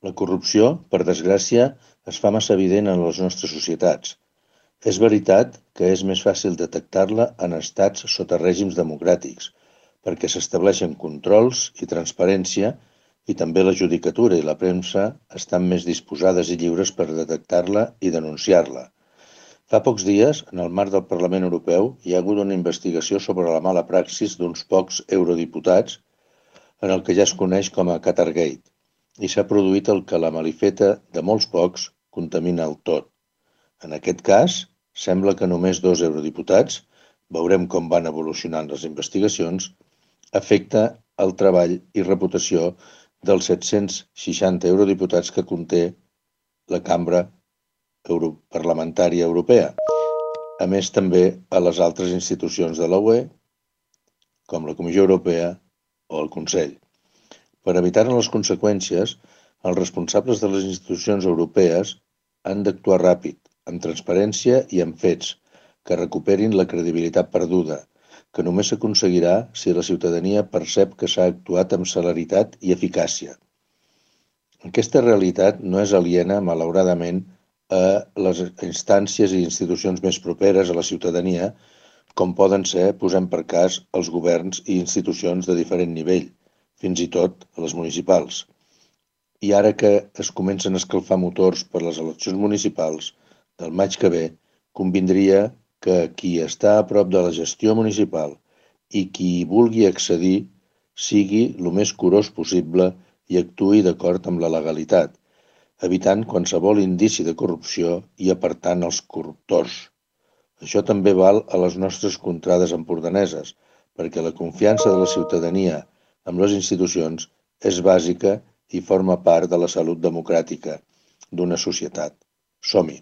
La corrupció, per desgràcia, es fa massa evident en les nostres societats. És veritat que és més fàcil detectar-la en estats sota règims democràtics, perquè s'estableixen controls i transparència i també la judicatura i la premsa estan més disposades i lliures per detectar-la i denunciar-la. Fa pocs dies, en el marc del Parlament Europeu, hi ha hagut una investigació sobre la mala praxis d'uns pocs eurodiputats en el que ja es coneix com a Qatargate, i s'ha produït el que la malifeta de molts pocs contamina el tot. En aquest cas, sembla que només 2 eurodiputats, veurem com van evolucionant les investigacions, afecta el treball i reputació dels 760 eurodiputats que conté la Cambra Parlamentària Europea, a més també a les altres institucions de la UE, com la Comissió Europea o el Consell. Per evitar-ne les conseqüències, els responsables de les institucions europees han d'actuar ràpid, amb transparència i amb fets, que recuperin la credibilitat perduda, que només s'aconseguirà si la ciutadania percep que s'ha actuat amb celeritat i eficàcia. Aquesta realitat no és aliena, malauradament, a les instàncies i institucions més properes a la ciutadania, com poden ser, posem per cas, els governs i institucions de diferent nivell, fins i tot a les municipals. I ara que es comencen a escalfar motors per les eleccions municipals del maig que ve, convindria que qui està a prop de la gestió municipal i qui hi vulgui accedir sigui el més curós possible i actuï d'acord amb la legalitat, evitant qualsevol indici de corrupció i apartant els corruptors. Això també val a les nostres contrades empordaneses, perquè la confiança de la ciutadania amb les institucions és bàsica i forma part de la salut democràtica d'una societat. Som-hi!